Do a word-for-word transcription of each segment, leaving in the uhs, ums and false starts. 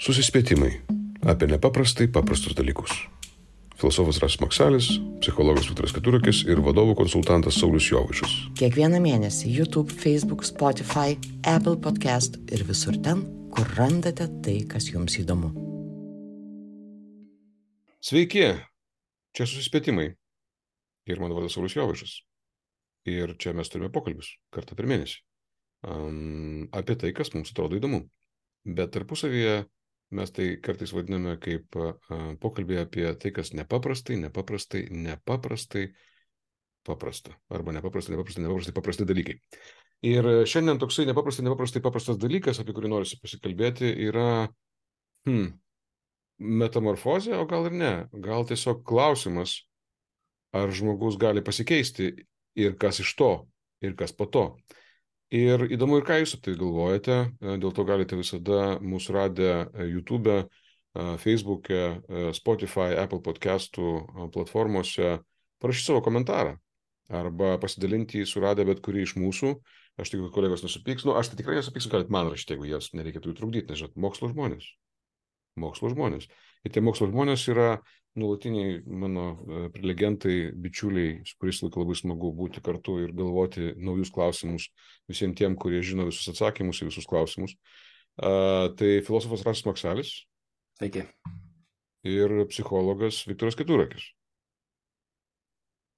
Susispėtimai apie nepaprastai paprastus dalykus. Filosofas Rasas Maksalis, psichologas Viktoras Keturakis ir vadovų konsultantas Saulius Jovaišas. Kiekvieną mėnesį YouTube, Facebook, Spotify, Apple Podcast ir visur ten, kur randate tai, kas jums įdomu. Sveiki, čia Susispėtimai. Ir mano vardas Saulius Jovaišas. Ir čia mes turime pokalbius kartą per mėnesį. Um, apie tai, kas mums atrodo įdomu. Bet tarpusavyje mes tai kartais vadiname kaip uh, pokalbį apie tai, kas nepaprastai, nepaprastai, nepaprastai paprasta. Arba nepaprastai, nepaprastai, nepaprastai paprasti dalykai. Ir šiandien toksai nepaprastai, nepaprastai paprastas dalykas, apie kurį norisi pasikalbėti, yra hmm, metamorfozė, o gal ir ne. Gal tiesiog klausimas, ar žmogus gali pasikeisti ir kas iš to, ir kas po to. Ir įdomu ir ką jūs apie tai galvojate, dėl to galite visada mūsų radę YouTube, Facebook'e, Spotify, Apple Podcastų platformose parašyti savo komentarą arba pasidalinti suradę bet kurį iš mūsų. Aš tikiu, kad kolegos nesupyks. Nu, aš tai tikrai nesupyksiu, galit man rašyti, jeigu jas nereikėtų trukdyti, nes žinot, mokslo žmonės. Mokslo žmonės. Ir tie mokslo žmonės yra nuolatiniai mano prelegentai, bičiuliai, su kuriais laiku labai smagu būti kartu ir galvoti naujus klausimus visiems tiem, kurie žino visus atsakymus į visus klausimus. Uh, tai filosofas Rasas Maksalis. Sveiki. Ir psichologas Viktoras Keturakis.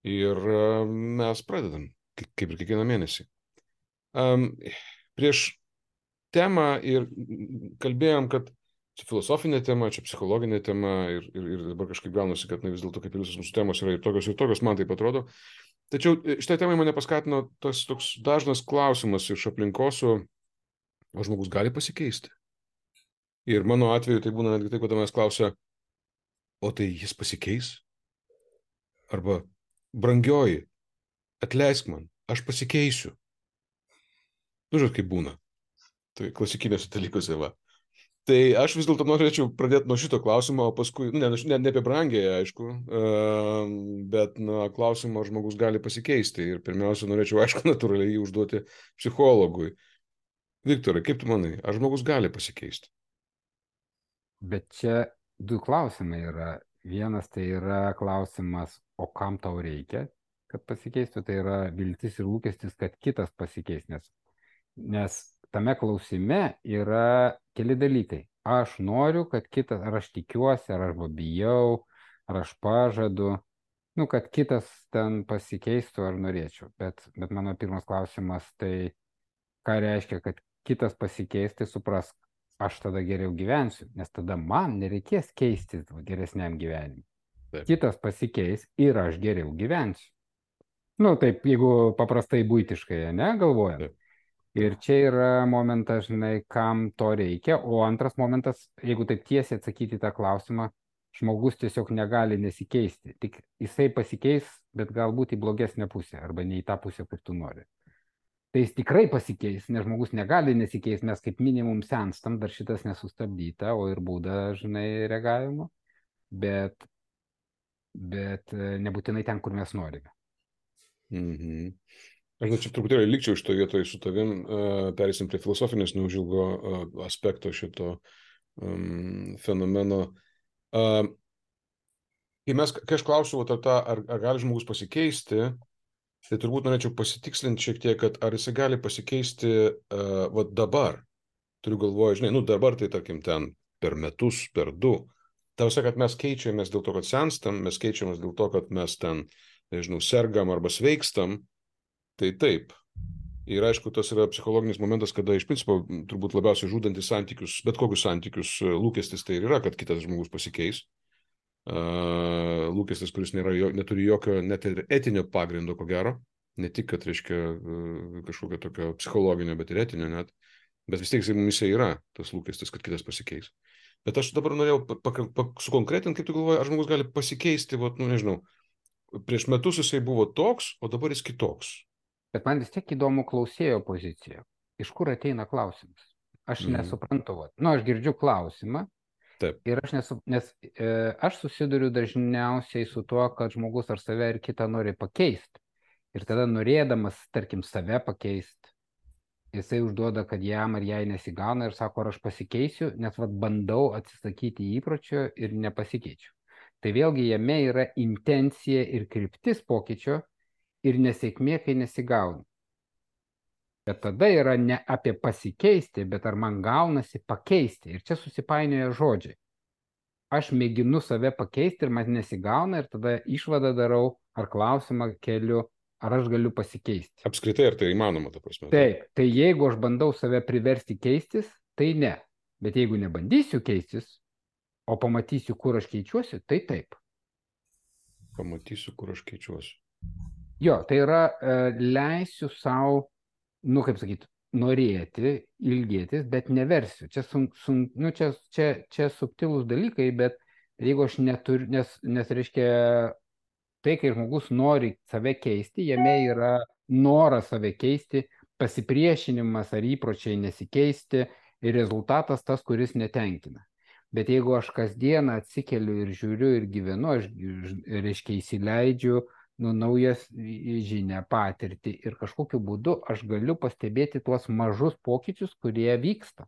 Ir uh, mes pradedam, kaip ir kiekvieną mėnesį. Um, prieš temą ir kalbėjom, kad čia filosofinė tema, čia psichologinė tema ir, ir, ir dabar kažkaip gaunasi, kad na, vis dėlto kaip ir visos mūsų temos yra ir tokios ir tokios, man taip atrodo. Tačiau šitą temą mane paskatino tas toks dažnas klausimas iš aplinkosų, o žmogus gali pasikeisti. Ir mano atveju tai būna netgi taip, kad manęs klausia, o tai jis pasikeis? Arba, brangioji, atleisk man, aš pasikeisiu. Nu, žinot, kaip būna. Tai klasikinėse dalykuose va. Tai aš vis dėlto norėčiau pradėti nuo šito klausimo, o paskui, nu, ne, ne, ne apie brangėje, aišku, bet nuo klausimo, ar žmogus gali pasikeisti. Ir pirmiausia, norėčiau, aišku, natūraliai jį užduoti psichologui. Viktorai, kaip tu manai, ar žmogus gali pasikeisti? Bet čia du klausimai yra. Vienas tai yra klausimas, o kam tau reikia, kad pasikeistų, tai yra viltis ir lūkestis, kad kitas pasikeis, nes, nes tame klausime yra keli dalykai. Aš noriu, kad kitas, ar aš tikiuosi, ar aš bijau, ar aš pažadu, nu, kad kitas ten pasikeistų, ar norėčiau. Bet, bet mano pirmas klausimas, tai ką reiškia, kad kitas pasikeis, tai suprask, aš tada geriau gyvensiu, nes tada man nereikės keistis geresniam gyvenimui. Taip. Kitas pasikeis ir aš geriau gyvensiu. Nu, taip, jeigu paprastai buitiškai, ne, galvojant. Taip. Ir čia yra momentas, žinai, kam to reikia, o antras momentas, jeigu taip tiesiai atsakyti tą klausimą, žmogus tiesiog negali nesikeisti. Tik jisai pasikeis, bet galbūt į blogesnę pusę, arba ne į tą pusę, kur tu nori. Tai jis tikrai pasikeis, nes žmogus negali nesikeisti, mes kaip minimum senstam, dar šitas nesustabdyta, o ir būda, žinai, reagavimo, bet, bet nebūtinai ten, kur mes norime. Mhm. Aš nu, čia truputėlį likčiau iš to vietoje su tavim, uh, perėsim prie filosofinės neužilgo uh, aspekto šito um, fenomeno. Uh, kai, mes, kai aš klausiu, ar, ta, ar, ar gali žmogus pasikeisti, tai turbūt norėčiau pasitikslinti šiek tiek, kad ar jisai gali pasikeisti uh, va dabar. Turiu galvoje, žinai, nu dabar tai tarkim ten per metus, per du. Tavose, kad mes keičiamės dėl to, kad senstam, mes keičiamės dėl to, kad mes ten, nežinau, sergam arba sveikstam. Tai taip. Ir aišku, tas yra psichologinis momentas, kada iš principo turbūt labiausiai žudantis santykius, bet kokius santykius lūkestis tai ir yra, kad kitas žmogus pasikeis. Uh, lūkestis, kuris nėra, neturi jokio net ir etinio pagrindo, ko gero. Ne tik, kad reiškia uh, kažkokio tokio psichologinio, bet ir etinio net. Bet vis tiek mumise yra tas lūkestis, kad kitas pasikeis. Bet aš dabar norėjau sukonkretinti, kaip tu galvoji, ar žmogus gali pasikeisti, vat, nu nežinau, prieš metus jisai buvo toks, o dabar jis kitoks. Bet man vis tiek įdomu klausėjo pozicija. Iš kur ateina klausimas? Aš mm. nesuprantu. Va. Nu, aš girdžiu klausimą. Taip. Ir aš nesu, nes e, aš susiduriu dažniausiai su tuo, kad žmogus ar save ar kitą nori pakeisti. Ir tada norėdamas, tarkim, save pakeisti, jisai užduoda, kad jam ar jai nesigauna ir sako, ar aš pasikeisiu, nes vat bandau atsisakyti įpročio ir nepasikeičiu. Tai vėlgi jame yra intencija ir kryptis pokyčio ir nesėkmė, kai nesigauna. Bet tada yra ne apie pasikeisti, bet ar man gaunasi pakeisti. Ir čia susipainioja žodžiai. Aš mėginu save pakeisti ir man nesigauna ir tada išvadą darau ar klausimą keliu, ar aš galiu pasikeisti. Apskritai, ar tai įmanoma, ta prasme? Taip, tai jeigu aš bandau save priversti keistis, tai ne. Bet jeigu nebandysiu keistis, o pamatysiu, kur aš keičiuosi, tai taip. Pamatysiu, kur aš keičiuosi. Jo, tai yra e, leisiu savo, nu kaip sakyti, norėti, ilgėtis, bet neversiu. Čia, sun, sun, nu, čia, čia, čia subtilūs dalykai, bet jeigu aš neturiu, nes, nes reiškia, tai, kai žmogus nori save keisti, jame yra noras save keisti, pasipriešinimas ar įpročiai nesikeisti ir rezultatas tas, kuris netenkina. Bet jeigu aš kasdieną atsikeliu ir žiūriu ir gyvenu, aš, reiškia, įsileidžiu nu, naujas žinią, patirtį ir kažkokiu būdu aš galiu pastebėti tuos mažus pokyčius, kurie vyksta.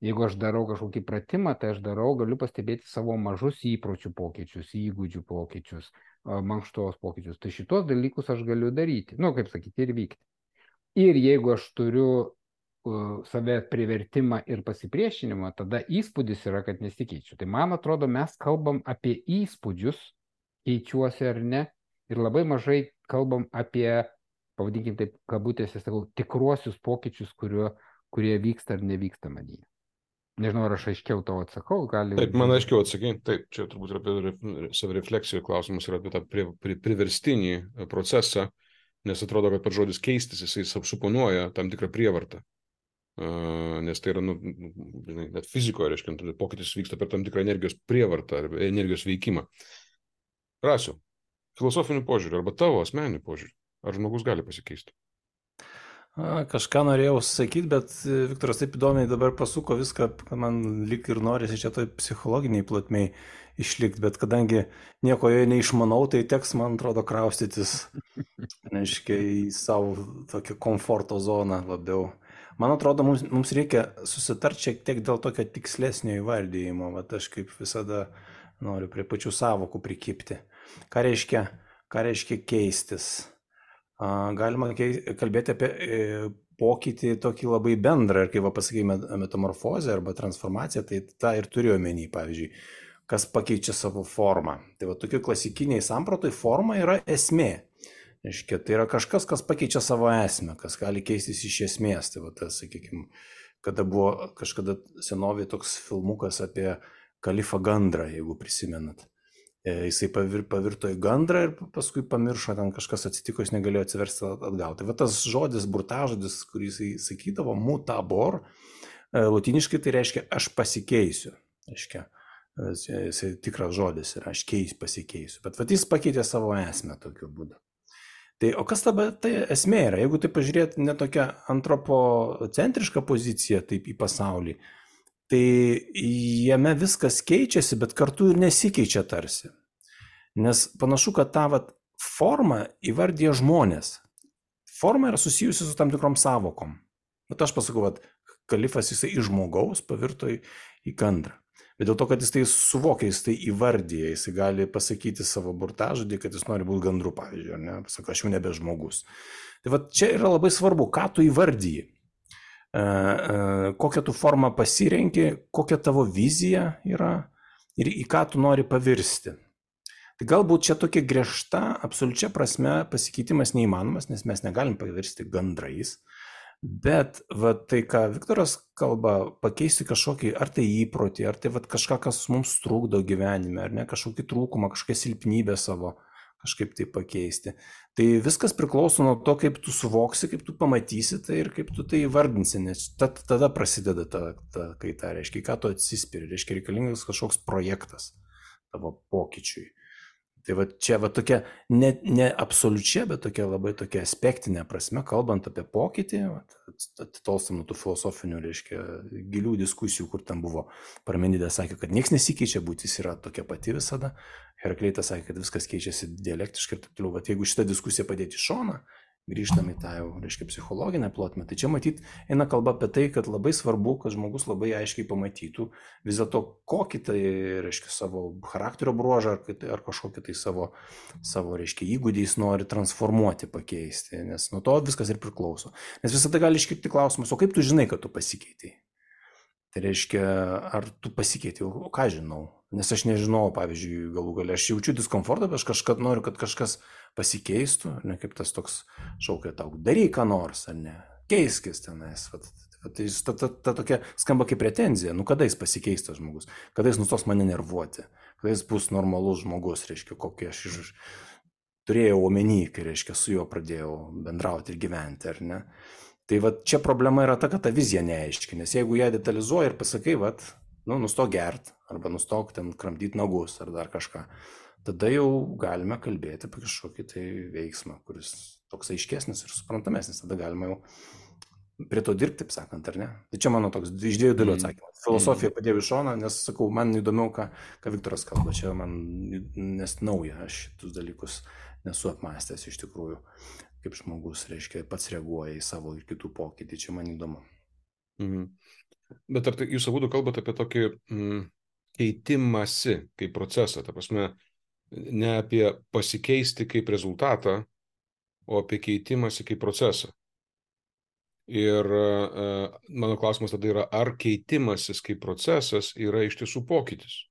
Jeigu aš darau kažkokį pratimą, tai aš darau, galiu pastebėti savo mažus įpročių pokyčius, įgūdžių pokyčius, mankštos pokyčius. Tai šitos dalykus aš galiu daryti, nu, kaip sakyti, ir vykti. Ir jeigu aš turiu uh, save privertimą ir pasipriešinimą, tada įspūdis yra, kad nesikeičiu. Tai man atrodo, mes kalbam apie įspūdžius, keičiuosi ar ne, ir labai mažai kalbam apie, pavadinkim taip, kabutėse, sakau, tikruosius pokyčius, kurio, kurie vyksta ar nevyksta manyje. Nežinau, ar aš aiškiau tau atsakau, gali... Taip, man aiškiau atsakai. Taip, čia turbūt yra apie savirefleksijų klausimas ir apie tą pri, pri, priverstinį procesą, nes atrodo, kad per žodis keistis jisai suponuoja tam tikrą prievartą. Uh, nes tai yra, nu, net fizikoje, reiškia, pokytis vyksta per tam tikrą energijos prievartą ar energijos veikimą. Rasiu, filosofinių požiūrių arba tavo asmeninių požiūrių, ar žmogus gali pasikeisti? A, kažką norėjau sakyti, bet Viktoras taip įdomiai dabar pasuko viską, kad man lyg ir norisi čia toj psichologiniai plotmei išlikti, bet kadangi nieko joje neišmanau, tai teks, man atrodo, kraustytis, neaiškia, į savo tokią komforto zoną labiau. Man atrodo, mums, mums reikia susitarti šiek tiek dėl tokio tikslesnio įvardyjimo, vat aš kaip visada noriu prie pačių savokų prikipti. Ką reiškia, ką reiškia keistis? Galima kalbėti apie pokytį tokį labai bendrą ir kai va pasakėjome metamorfozę arba transformaciją, tai tą ir turiu omeny, pavyzdžiui, kas pakeičia savo formą. Tai va tokiu klasikiniai sampratai forma yra esmė. Reiškia, tai yra kažkas, kas pakeičia savo esmę, kas gali keistis iš esmės. Tai va tas, sakykime, kada buvo kažkada senovėje toks filmukas apie kalifą gandrą, jeigu prisimenat. Jisai pavir, pavirto į gandrą ir paskui pamiršo, ten kažkas atsitiko, jis negalėjo atsiversti atgal. Tai va tas žodis, burtažodis, kurį jisai sakydavo, mutabor, lotyniškai tai reiškia aš pasikeisiu. Reiškia, jisai tikras žodis yra aš keis, pasikeisiu. Bet va jis pakeitė savo esmę tokiu būdu. Tai o kas tada tai esmė yra? Jeigu tai pažiūrėti ne tokia antropocentriška pozicija taip į pasaulį, tai jame viskas keičiasi, bet kartu ir nesikeičia tarsi. Nes panašu, kad tą vat, formą įvardyja žmonės. Forma yra susijusi su tam tikrom savokom. Bet aš pasakau, kad kalifas jisai iš žmogaus pavirto į, į gandrą. Bet dėl to, kad jis tai suvokia, jis tai įvardyja, jis gali pasakyti savo burtažodį, kad jis nori būti gandru, pavyzdžiui, ar ne? Pasako, aš jau nebe žmogus. Tai vat čia yra labai svarbu, ką tu įvardyji. Kokią tu formą pasirenki, kokia tavo vizija yra ir į ką tu nori pavirsti. Tai galbūt čia tokia griežta, absoliučia prasme pasikeitimas neįmanomas, nes mes negalim pavirsti gandrais, bet va, tai, ką Viktoras kalba, pakeisti kažkokį, ar tai įprotį, ar tai va, kažką, kas mums trukdo gyvenime, ar ne, kažkokį trūkumą, kažkokią silpnybę savo kažkaip tai pakeisti. Tai viskas priklauso nuo to, kaip tu suvoksi, kaip tu pamatysi tai ir kaip tu tai įvardinsi, nes tada prasideda ta, ta kaita, reiškia, ką tu atsispiri, reiškia, reikalingas kažkoks projektas tavo pokyčiui. Tai va čia va tokia, ne, ne absoliučia, bet tokia labai tokia aspektinė prasme, kalbant apie pokytį, atitolstam nuo tų filosofinių, reiškia, gilių diskusijų, kur ten buvo Parmenidė sakė, kad nieks nesikeičia, būtis yra tokia pati visada. Herakleitas sakė, kad viskas keičiasi dialektiškai ir taip toliau. Bet jeigu šitą diskusiją padėti į šoną grįžtam į tą jau, reiškia, psichologinę plotmę. Tai čia matyt eina kalba apie tai, kad labai svarbu, kad žmogus labai aiškiai pamatytų vis dėlto kokį tai, reiškia, savo charakterio bruožą ar, ar kažkokį tai savo, savo, reiškia, įgūdį jis nori transformuoti, pakeisti, nes nuo to viskas ir priklauso. Nes visada gali iškilti klausimas, o kaip tu žinai, kad tu pasikeitai? Tai reiškia, ar tu pasikeitei, o ką žinau? Nes aš nežinau, pavyzdžiui, galų galia, aš jaučiu diskomfortą, bet aš kažkad noriu, kad kažkas pasikeistų, ar ne, kaip tas toks šaukia tau, daryk ką nors, ar ne, keiskis tenais. Vat, vat, tai ta, ta, ta tokia skamba kaip pretenzija, nu kada jis pasikeis tas žmogus, kada jis nustos mane nervuoti, kada jis bus normalus žmogus, reiškia, kokį aš iš... turėjau omeny, kai, reiškia, su juo pradėjau bendrauti ir gyventi, ar ne. Tai va čia problema yra ta, kad ta vizija neaiški, nes jeigu ją detalizuoji ir pasakai, vat, nu, nustok gert, arba nustok ten kramdyti nagus, ar dar kažką, tada jau galime kalbėti apie kažkokį tai veiksmą, kuris toks aiškesnis ir suprantamesnis, tada galima jau prie to dirbti, taip sakant, ar ne? Tai čia mano toks iš dviejų dalių atsakymas. Filosofija padėjau į šoną, nes, sakau, man įdomiau, ką, ką Viktoras kalba, čia man nes nauja, aš šitus dalykus nesu apmąstęs iš tikrųjų. Kaip žmogus, reiškia, pats reaguoja į savo ir kitų pokytį, čia man įdomu. Mhm. Bet ar tai, jūs abudu kalbate apie tokį mm, keitimąsi kaip procesą, ta prasme, ne apie pasikeisti kaip rezultatą, o apie keitimąsi kaip procesą. Ir uh, mano klausimas tada yra, ar keitimasis kaip procesas yra iš tiesų pokytis?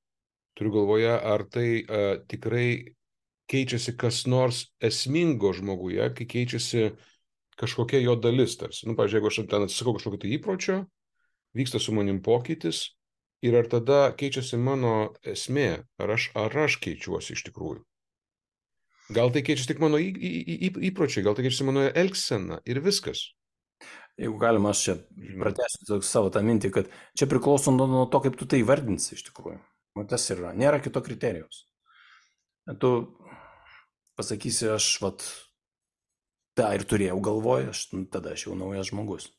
Turiu galvoje, ar tai uh, tikrai keičiasi kas nors esmingo žmoguje, kai keičiasi kažkokia jo dalis tarsi. Nu, pavyzdžiui, jeigu aš ten atsisakau kažkokio tai įpročio, vyksta su manim pokytis ir ar tada keičiasi mano esmė, ar aš, ar aš keičiuosi iš tikrųjų. Gal tai keičiasi tik mano į, į, į, įpročiai, gal tai keičiasi mano elgsena ir viskas. Jeigu galima, aš čia pratęsiu savo tą mintį, kad čia priklauso nuo to, kaip tu tai įvardinsi iš tikrųjų. O tas yra, nėra kito kriterijaus. Tu pasakysi, aš vat, tą ir turėjau galvoje, aš, nu, tada aš jau naujas žmogus.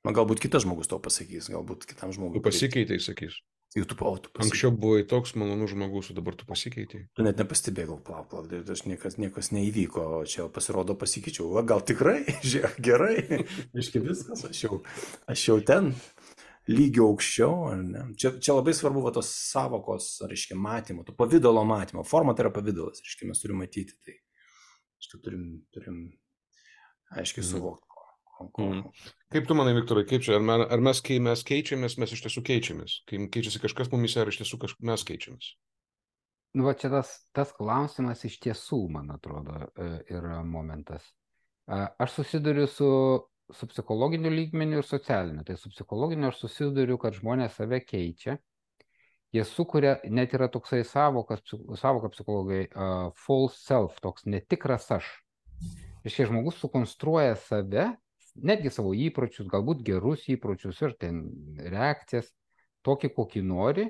Na, galbūt kitas žmogus to pasakys, galbūt kitam žmogui. Tu pasikeitai, sakys. Jau tu, o, tu pasikeitei. Anksčiau buvai toks malonus žmogus, o dabar tu pasikeitai. Tu net nepastebėjau, plauk, plauk, aš niekas, niekas neįvyko, o čia pasirodo pasikeičiau. Va, gal tikrai, žiūrėk, gerai, iški viskas, aš jau, aš jau ten. Lygio aukščiau, ar ne? Čia, čia labai svarbu va, tos savokos, reiškia, matymo, to pavydalo matymo. Forma tai yra pavydalas, reiškia, mes turime matyti tai. Reiškia, turim, turim aiškiai suvokti. Ko, ko. Mm. Kaip tu manai, Viktorai, kaip čia, ar, mes, ar mes, kai mes keičiamės, mes iš tiesų keičiamės? Kai keičiasi kažkas mumis, ar iš tiesų kaž... mes keičiamės? Nu, va čia tas, tas klausimas iš tiesų, man atrodo, yra momentas. Aš susiduriu su su psichologiniu lygmeniu ir socialiniu. Tai su psichologiniu aš susiduriu, kad žmonės save keičia. Jie sukuria, net yra toksai savokas, savoka psichologai, uh, false self, toks netikras aš. Reiškia, žmogus sukonstruoja save, netgi savo įpročius, galbūt gerus įpročius ir ten reakcijas, tokį, kokį nori,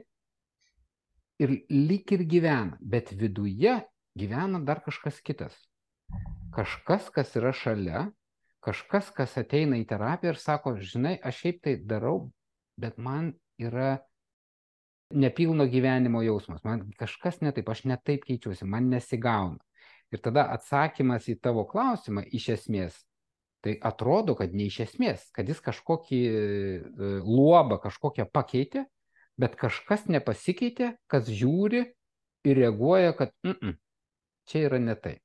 ir lyg ir gyvena, bet viduje gyvena dar kažkas kitas. Kažkas, kas yra šalia, kažkas, kas ateina į terapiją ir sako, žinai, aš šiaip tai darau, bet man yra nepilno gyvenimo jausmas, man kažkas ne taip, aš ne taip keičiuosi, man nesigauna. Ir tada atsakymas į tavo klausimą iš esmės, tai atrodo, kad ne iš esmės, kad jis kažkokį luobą, kažkokią pakeitė, bet kažkas nepasikeitė, kas žiūri ir reaguoja, kad mm -mm, čia yra ne tai.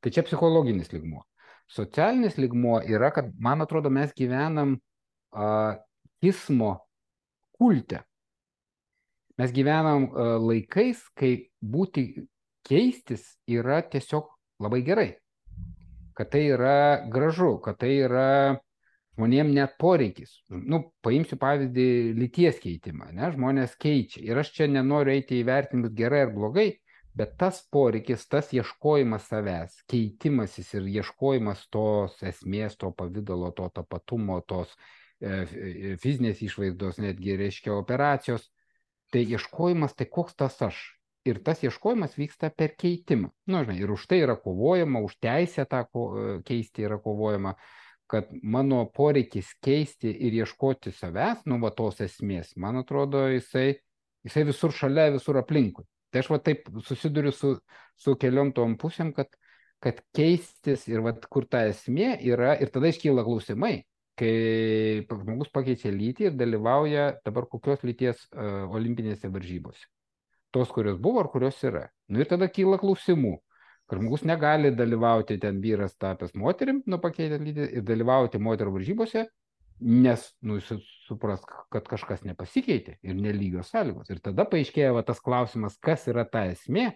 Tai čia psichologinis lygmuo. Socialinis lygmuo yra, kad, man atrodo, mes gyvenam uh, kismo kulte. Mes gyvenam uh, laikais, kai būti keistis yra tiesiog labai gerai. Kad tai yra gražu, kad tai yra žmonėm net poreikis. Nu, paimsiu pavyzdį lyties keitimą, ne? Žmonės keičia. Ir aš čia nenoriu eiti įvertinimus gerai ar blogai, bet tas poreikis, tas ieškojimas savęs, keitimasis ir ieškojimas tos esmės, to pavydalo, to tapatumo, tos e, fizinės išvaizdos, netgi reiškia operacijos, tai ieškojimas, tai koks tas aš. Ir tas ieškojimas vyksta per keitimą. Nu, žinai, ir už tai yra kovojama, už teisę tą keisti yra kovojama, kad mano poreikis keisti ir ieškoti savęs, nu, va tos esmės, man atrodo, jisai, jisai visur šalia, visur aplinkui. Tai aš va taip susiduriu su, su keliom tom pusėm, kad kad keistis ir vat, kur ta esmė yra, ir tada iškyla klausimai, kai žmogus pakeičia lytį ir dalyvauja dabar kokios lyties uh, olimpinėse varžybose. Tos, kurios buvo ar kurios yra. Nu ir tada kyla klausimų, kad žmogus negali dalyvauti ten vyras tapęs moterim, nu pakeitęs lytį ir dalyvauti moterų varžybose, nes nu, supras, kad kažkas nepasikeitė ir nelygios sąlygos. Ir tada paaiškėja va, tas klausimas, kas yra ta esmė,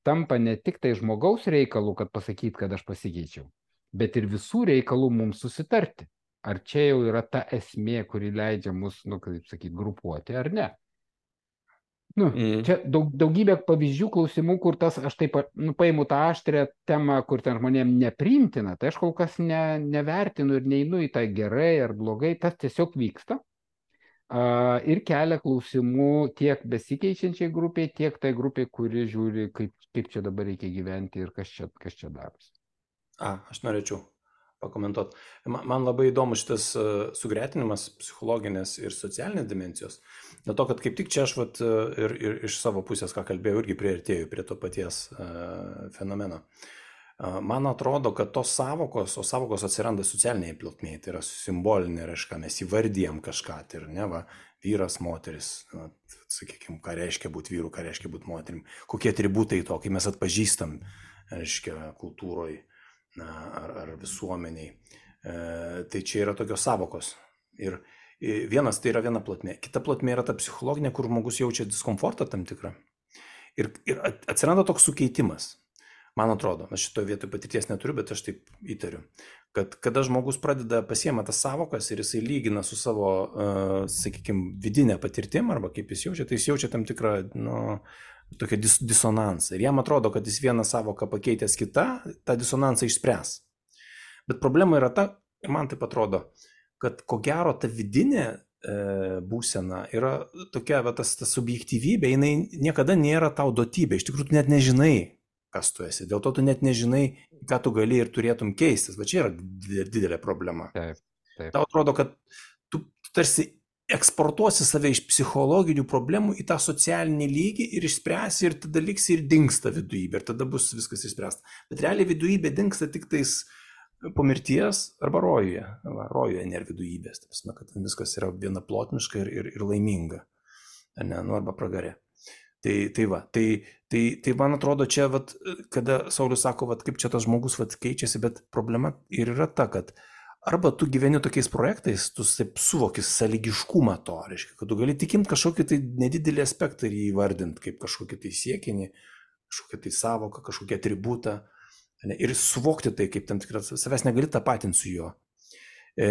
tampa ne tik tai žmogaus reikalų, kad pasakyt, kad aš pasikeičiau, bet ir visų reikalų mums susitarti. Ar čia jau yra ta esmė, kuri leidžia mus, nu, kaip sakyti, grupuoti, ar ne? Nu, mm. Čia daug, daugybė pavyzdžių, klausimų, kur tas, aš taip, nu, paimu tą aštrę temą, kur ten žmonėm nepriimtina, tai aš kol kas ne, nevertinu ir neinu į tą gerai ar blogai, tas tiesiog vyksta. Uh, ir kelia klausimų tiek besikeičiančiai grupiai, tiek tai grupiai, kuri žiūri, kaip, kaip čia dabar reikia gyventi ir kas čia, kas čia darosi. A, aš norėčiau pakomentuoti. Man, man labai įdomu šitas uh, sugretinimas psichologinės ir socialinės dimensijos. Dėl to, kad kaip tik čia aš vat, uh, ir, ir iš savo pusės, ką kalbėjau, irgi priartėjau prie to paties uh, fenomeno. Man atrodo, kad tos savokos, o savokos atsiranda socialiniai plotmėje, tai yra simbolinė raiška, mes įvardijam kažką, tai ir ne, va, vyras, moteris, na, sakykime, ką reiškia būti vyru, ką reiškia būti moterim, kokie atributai to, kai mes atpažįstam, reiškia, kultūroje ar, ar visuomeniai. E, tai čia yra tokios savokos. Ir vienas tai yra viena plotmė, kita plotmė yra ta psichologinė, kur žmogus jaučia diskomfortą tam tikrą. Ir, ir atsiranda toks sukeitimas. Man atrodo, aš šitoje vietoje patirties neturiu, bet aš taip įtariu, kad kada žmogus pradeda pasiema tas savokas ir jisai lygina su savo, uh, sakykime, vidinė patirtim, arba kaip jis jaučia, tai jis jaučia tam tikrą, nu, tokią dis disonansą. Ir jam atrodo, kad jis vieną savoką pakeitęs kitą, tą disonansą išspręs. Bet problema yra ta, ir man taip atrodo, kad ko gero ta vidinė e, būsena yra tokia, va, tas, tas subjektyvybė, jinai niekada nėra tau duotybė, iš tikrųjų tu net nežinai, kas tu esi. Dėl to tu net nežinai, ką tu gali ir turėtum keistis. Va čia yra didelė problema. Taip, taip. Tau atrodo, kad tu tarsi eksportuosi save iš psichologinių problemų į tą socialinį lygį ir išspręsi ir tada liksi ir dingsta vidujybė ir tada bus viskas išspręsta. Bet realiai vidujybė dingsta tik tais po mirties arba rojuje. Va, rojuje nėra vidujybės. Taip, kad viskas yra vienaplotmiška ir, ir, ir laiminga. Ne, nu, arba pragare. Tai, tai va, tai, tai, tai man atrodo čia, vat, kada Saulius sako, vat, kaip čia tas žmogus vat, keičiasi, bet problema ir yra ta, kad arba tu gyveni tokiais projektais, tu taip suvoki sąlygiškumą to, reiškia, kad tu gali tikimti kažkokį tai nedidelį aspektą ir jį įvardinti kaip kažkokį tai siekinį, kažkokį tai savoką, kažkokį atributą, ne, ir suvokti tai kaip tam tikras, savęs negali tapatinti su juo. E,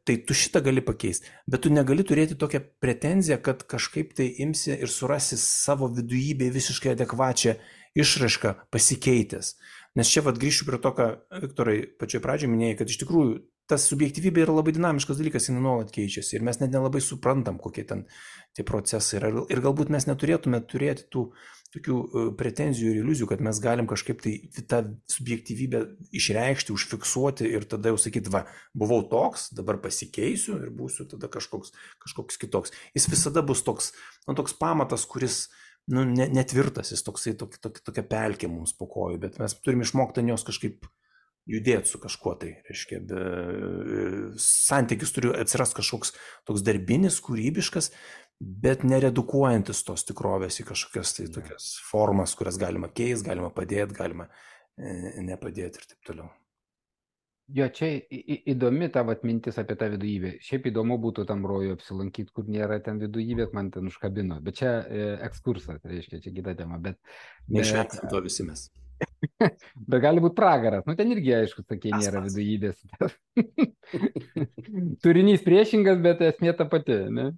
tai tu šitą gali pakeisti, bet tu negali turėti tokią pretenziją, kad kažkaip tai imsi ir surasi savo vidujybę visiškai adekvačią išraišką pasikeitęs. Nes čia vat grįšiu prie to, ką Viktorai pačioj pradžioje minėjai, kad iš tikrųjų tas subjektyvybė yra labai dinamiškas dalykas, jis nuolat keičiasi ir mes net nelabai suprantam, kokie ten tie procesai yra. Ir galbūt mes neturėtume turėti tų tokių pretenzijų ir iliuzijų, kad mes galim kažkaip tai tą subjektyvybę išreikšti, užfiksuoti ir tada jau sakyti, va, buvau toks, dabar pasikeisiu ir būsiu tada kažkoks, kažkoks kitoks. Jis visada bus toks, nu, toks pamatas, kuris nu, ne, netvirtas, jis toksai, tok, tok, tokia pelkė mums po kojų, bet mes turim išmokti ant jos kažkaip judėti su kažkuo tai, reiškia, be, santykis turi atsirast kažkoks toks darbinis, kūrybiškas, bet neredukuojantis tos tikrovės į kažkokias tai tokias formas, kurias galima keisti, galima padėti, galima e, nepadėti ir taip toliau. Jo, čia į, įdomi ta vat, mintis apie tą vidujybę. Šiaip įdomu būtų tam rojų apsilankyti, kur nėra ten vidujybės, man ten užkabino. Bet čia e, ekskursas, reiškia, čia kita tema. Bet, neišvengsim to visi mes. Bet gali būti pragaras. Nu, ten irgi, aišku, sakė, nėra vidujybės. Turinys priešingas, bet esmė ta pati, ne?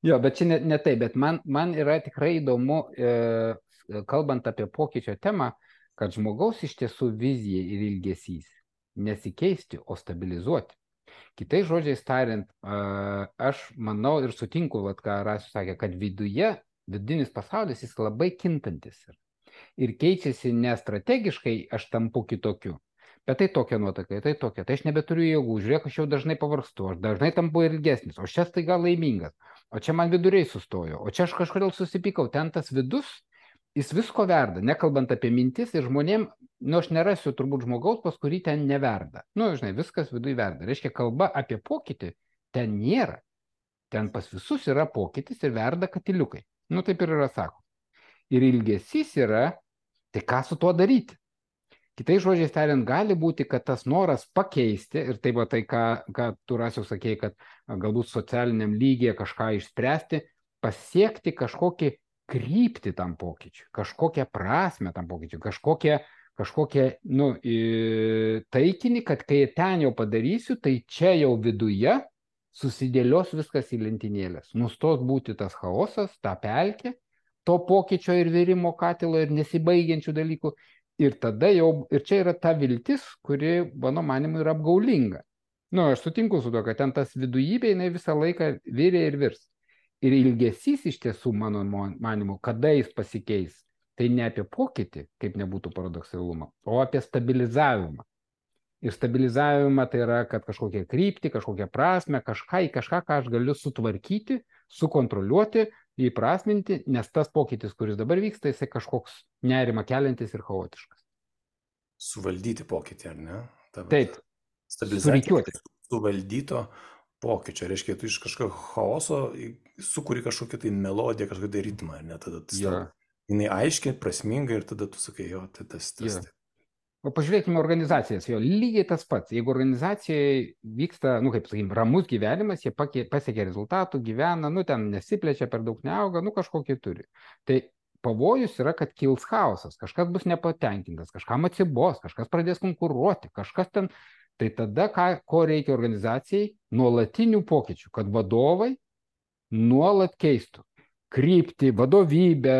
Jo, bet čia ne, ne tai, bet man, man yra tikrai įdomu, e, kalbant apie pokyčio temą, kad žmogaus iš tiesų vizija ir ilgesys nesikeisti, o stabilizuoti. Kitais žodžiais tariant, aš manau ir sutinku, vat, ką Rasius sakė, kad viduje, vidinis pasaulis jis labai kintantis yra. Ir keičiasi ne strategiškai, aš tampu kitokiu, bet tai tokia nuotaka, tai tokia, tai aš nebeturiu jėgų, žiūrėk, aš jau dažnai pavargstu, aš dažnai tampu ilgesnis, o čia staiga laimingas, o čia man viduriai sustojo, o čia aš kažkodėl susipykau, ten tas vidus, jis visko verda, nekalbant apie mintis ir žmonėm nu, aš nerasiu turbūt žmogaus, pas kurį ten neverda. Nu, žinai, viskas viduje verda. Reiškia, kalba apie pokytį ten nėra. Ten pas visus yra pokytis ir verda katiliukai. Nu, taip ir yra sako. Ir ilgesys yra, tai ką su tuo daryti? Kitais žodžiais tariant, gali būti, kad tas noras pakeisti, ir taip, tai ką, ką tu Rasiau sakei, kad galbūt socialiniam lygyje kažką išspręsti, pasiekti kažkokį kryptį tam pokyčiui, kažkokią prasme tam pokyčiui, kažkokią, kažkokią nu, taikinį, kad kai ten jau padarysiu, tai čia jau viduje susidėlios viskas į lentynėlės. Nustos būti tas chaosas, ta pelkė, to pokyčio ir virimo katilo ir nesibaigiančių dalykų. Ir tada jau, ir čia yra ta viltis, kuri, mano manimu, yra apgaulinga. Nu, aš sutinku su to, kad ten tas vidujybė, jinai visą laiką virė ir virs. Ir ilgesys iš tiesų, mano manimu, kada jis pasikeis, tai ne apie pokytį, kaip nebūtų paradoksalumą, o apie stabilizavimą. Ir stabilizavimą tai yra, kad kažkokią kryptį, kažkokią prasme, kažką į kažką, ką aš galiu sutvarkyti, sukontroliuoti, įprasminti, nes tas pokytis, kuris dabar vyksta, jisai kažkoks nerimą keliantis ir chaotiškas. Suvaldyti pokytį, ar ne? Ta, Taip, stabilizuoti. Suvaldyto pokyčio. Reiškia, tu iš kažkokio chaoso sukuri kažkokią tai melodiją, kažkokią tai ritmą, ar ne? Tada tu ja. Jinai aiškiai, prasmingai ir tada tu sakai, jo, tai tas, tas. Ja. O pažiūrėkime organizacijas, jo, lygiai tas pats. Jeigu organizacijai vyksta, nu kaip sakykim, ramus gyvenimas, jie pasiekia rezultatų, gyvena, nu ten nesiplečia, per daug neauga, nu kažkokį turi. Tai pavojus yra, kad kils chaosas, kažkas bus nepatenkintas, kažkam atsibos, kažkas pradės konkuruoti, kažkas ten. Tai tada, ką, ko reikia organizacijai? Nuolatinių pokyčių, kad vadovai nuolat keistų kryptį, vadovybę,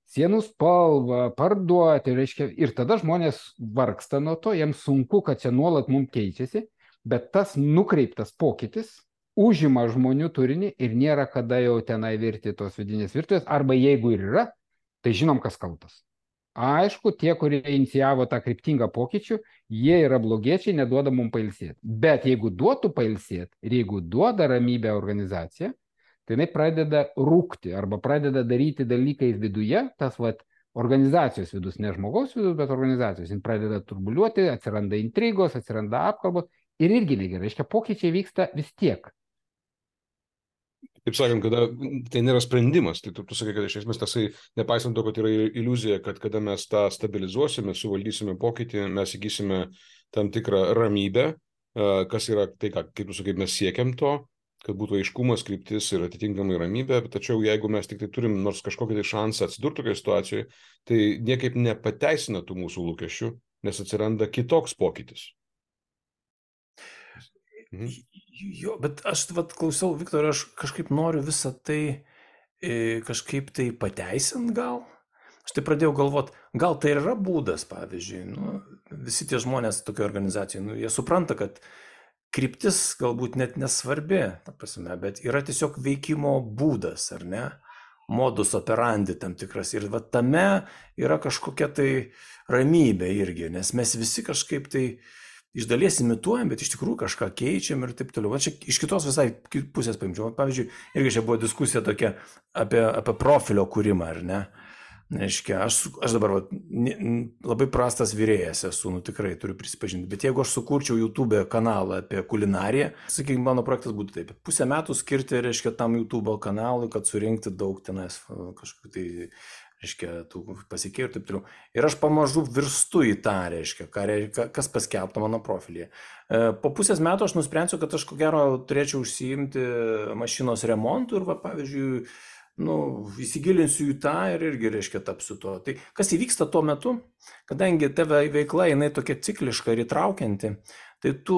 sienų spalvą, parduoti, reiškia, ir tada žmonės vargsta nuo to, jiems sunku, kad čia nuolat mums keičiasi, bet tas nukreiptas pokytis užima žmonių turinį ir nėra kada jau tenai virti tos vidinės virtuvės, arba jeigu ir yra, tai žinom, kas kaltas. Aišku, tie, kurie inicijavo tą kryptingą pokyčių, jie yra blogiečiai, neduoda mums pailsėti. Bet jeigu duotų pailsėti ir jeigu duoda ramybę organizacija, tai jinai pradeda rūkti arba pradeda daryti dalykai viduje, tas vat, organizacijos vidus, ne žmogaus vidus, bet organizacijos. Jis pradeda turbuliuoti, atsiranda intrigos, atsiranda apkalbos ir irgi negerai. Reiškia, pokyčiai vyksta vis tiek. Taip sakant, kada tai nėra sprendimas, tai tu, tu sakai, kad iš esmės tasai, nepaisant to, kad yra iliuzija, kad kada mes tą stabilizuosime, suvaldysime pokytį, mes įgysime tam tikrą ramybę, kas yra tai, ką, kaip tu sakai, mes siekiam to, kad būtų aiškumas, kryptis ir atitinkamai ramybė, tačiau jeigu mes tik tai turim nors kažkokį tai šansą atsidurti tokioje situacijoje, tai niekaip nepateisina tų mūsų lūkesčių, nes atsiranda kitoks pokytis. Mhm. Jo, bet aš vat, klausiau, Viktorai, aš kažkaip noriu visą tai e, kažkaip tai pateisint gal. Aš tai pradėjau galvoti, gal tai yra būdas, pavyzdžiui, nu, visi tie žmonės tokio organizacijai, nu, jie supranta, kad kryptis galbūt net nesvarbi, ta prasme, bet yra tiesiog veikimo būdas, ar ne? Modus operandi tam tikras. Ir va tame yra kažkokia tai ramybė irgi, nes mes visi kažkaip tai iš dalies imituojam, bet iš tikrųjų kažką keičiam ir taip toliau. Va čia iš kitos visai pusės paimčiau. Pavyzdžiui, irgi čia buvo diskusija tokia apie, apie profilio kūrimą, ar ne? Reiškia, aš, aš dabar va, labai prastas virėjas esu, nu tikrai turiu prisipažinti, bet jeigu aš sukurčiau YouTube kanalą apie kulinariją, sakykime, mano projektas būtų taip, pusę metų skirti, reiškia, tam YouTube kanalui, kad surinkti daug tenais kažkokių tai, reiškia, tų pasikėjų ir taip toliau. Ir aš pamažu virstu į tą, reiškia, ką, kas paskelbta mano profilyje. Po pusės metų aš nusprendžiau, kad aš ko gero turėčiau užsiimti mašinos remontu ir, va, pavyzdžiui, nu, įsigilinsiu į tą ir irgi, reiškia, tapsiu to. Tai kas įvyksta tuo metu, kadangi tavo veikla, jinai tokia cikliška ir įtraukianti, tai tu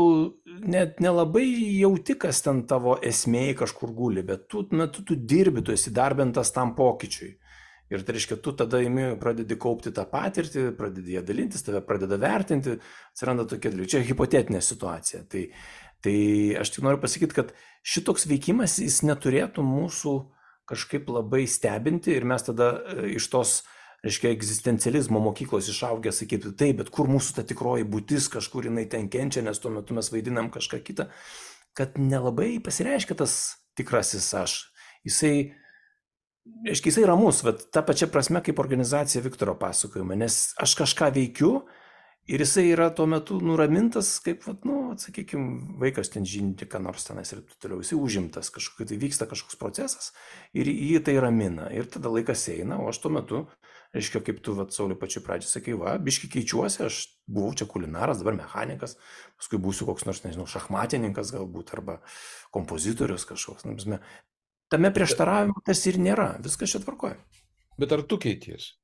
net nelabai jauti, kas ten tavo esmėje kažkur guli, bet tu metu tu dirbi, tu esi darbintas tam pokyčiui. Ir tai reiškia, tu tada imi, pradedi kaupti tą patirtį, pradedi ją dalintis, tave pradeda vertinti, atsiranda tokia dalykai. Čia hipotetinė situacija. Tai, tai aš tik noriu pasakyti, kad šitoks veikimas, jis neturėtų mūsų kažkaip labai stebinti ir mes tada iš tos, reiškia, egzistencializmo mokyklos išaugę sakyti, taip, bet kur mūsų ta tikroji būtis, kažkur jinai ten kenčia, nes tuo metu mes vaidinam kažką kitą, kad nelabai pasireiškia tas tikrasis aš. Jisai, reiškia, jisai ramus, bet ta pačia prasme kaip organizacija Viktoro pasakojime, nes aš kažką veikiu Ir jisai yra tuo metu nuramintas, kaip, vat, nu, sakykime, vaikas ten žinti, ką nors tenais ir toliau, jisai užimtas, kažkokia tai vyksta kažkoks procesas ir jį tai ramina. Ir tada laikas eina, o aš tuo metu, reiškia, kaip tu, vat, Sauliui, pačiu pradžiai sakai, va, biški keičiuosi, aš buvau čia kulinaras, dabar mechanikas, paskui būsiu koks nors, nežinau, šachmatininkas galbūt, arba kompozitorius kažkoks. Nu, tame prieštaravimo tas ir nėra, viskas čia tvarkoja. Bet ar tu keities?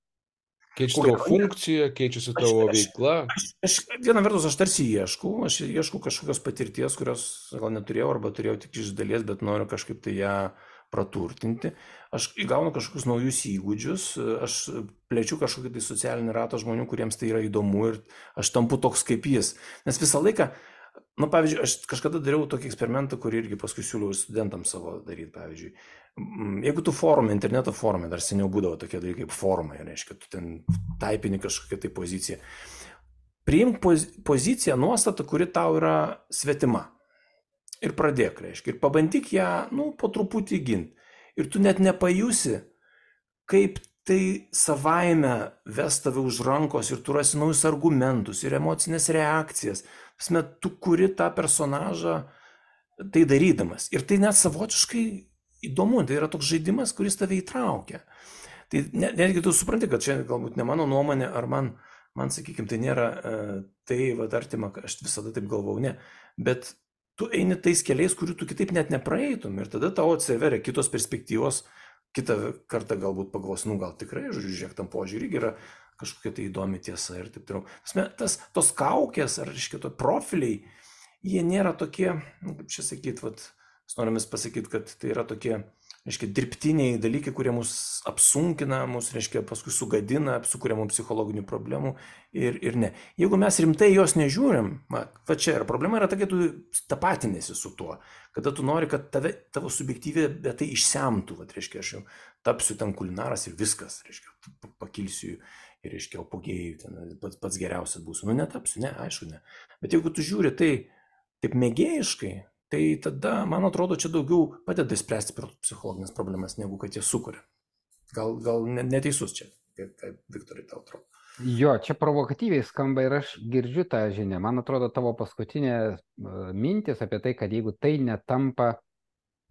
Keičiasi tavo funkcija, keičiasi tavo veikla. Aš, aš, viena vertus, aš tarsi ieškau, aš ieškau kažkokios patirties, kurios gal neturėjau arba turėjau tik iš dalies, bet noriu kažkaip tai ją praturtinti. Aš įgaunu kažkokius naujus įgūdžius, aš plečiu kažkokį tai socialinį ratą žmonių, kuriems tai yra įdomu ir aš tampu toks kaip jis. Nes visą laiką, nu, pavyzdžiui, aš kažkada dariau tokį eksperimentą, kurį irgi paskui siūliau studentams savo daryti, pavyzdžiui. Jeigu tu forume, interneto forume, dar seniau būdavo tokie dalykai kaip forumai, reiškia, tu ten taipini kažkokią tai poziciją. Priimk poz, poziciją, nuostatą, kuri tau yra svetima. Ir pradėk, reiškia, ir pabandyk ją, nu, po truputį ginti. Ir tu net nepajusi, kaip tai savaime ves tave už rankos ir tu rasi naujus argumentus ir emocinės reakcijas. Pasme, tu kuri tą personažą tai darydamas. Ir tai net savotiškai įdomu, tai yra toks žaidimas, kuris tave įtraukia. Tai netgi tu supranti, kad čia galbūt ne mano nuomonė, ar man, man sakykime, tai nėra tai, va, artima, aš visada taip galvau, ne. Bet tu eini tais keliais, kurių tu kitaip net nepraeitum ir tada tau atsiveria kitos perspektyvos, kitą kartą galbūt pagalvos, nu gal tikrai, žodžiu, žiūrėk, tam požiūrį yra kažkokia tai įdomi tiesa ir taip toliau. Tas, tos kaukės ar, reiškia, to profiliai, jie nėra tokie, nu, kaip čia sakyti, vat, norim pasakyti, kad tai yra tokie, reiškia, dirbtiniai dalykai, kurie mus apsunkina, mus, reiškia, paskui sugadina, sukuria mums psichologinių problemų ir, ir ne. Jeigu mes rimtai jos nežiūrim, va, va čia yra problema, yra tokia, tu tapatinėsi su tuo, kada tu nori, kad tave, tavo subjektyvė, bet tai išsemtų, va, reiškia, aš jau tapsiu ten kulinaras ir viskas, reiškia, pakilsiu ir, reiškia, apogėjų, ten pats, pats geriausias būsiu. Nu, netapsiu, ne, aišku, ne. Bet jeigu tu žiūri tai taip mėgėjiškai, tai tada, man atrodo, čia daugiau padeda spręsti psichologinės problemas, negu kad jie sukuria. Gal, gal neteisus čia, kaip Viktorai tau atrodo. Jo, čia provokatyviai skamba ir aš girdžiu tą žinią. Man atrodo, tavo paskutinė mintis apie tai, kad jeigu tai netampa,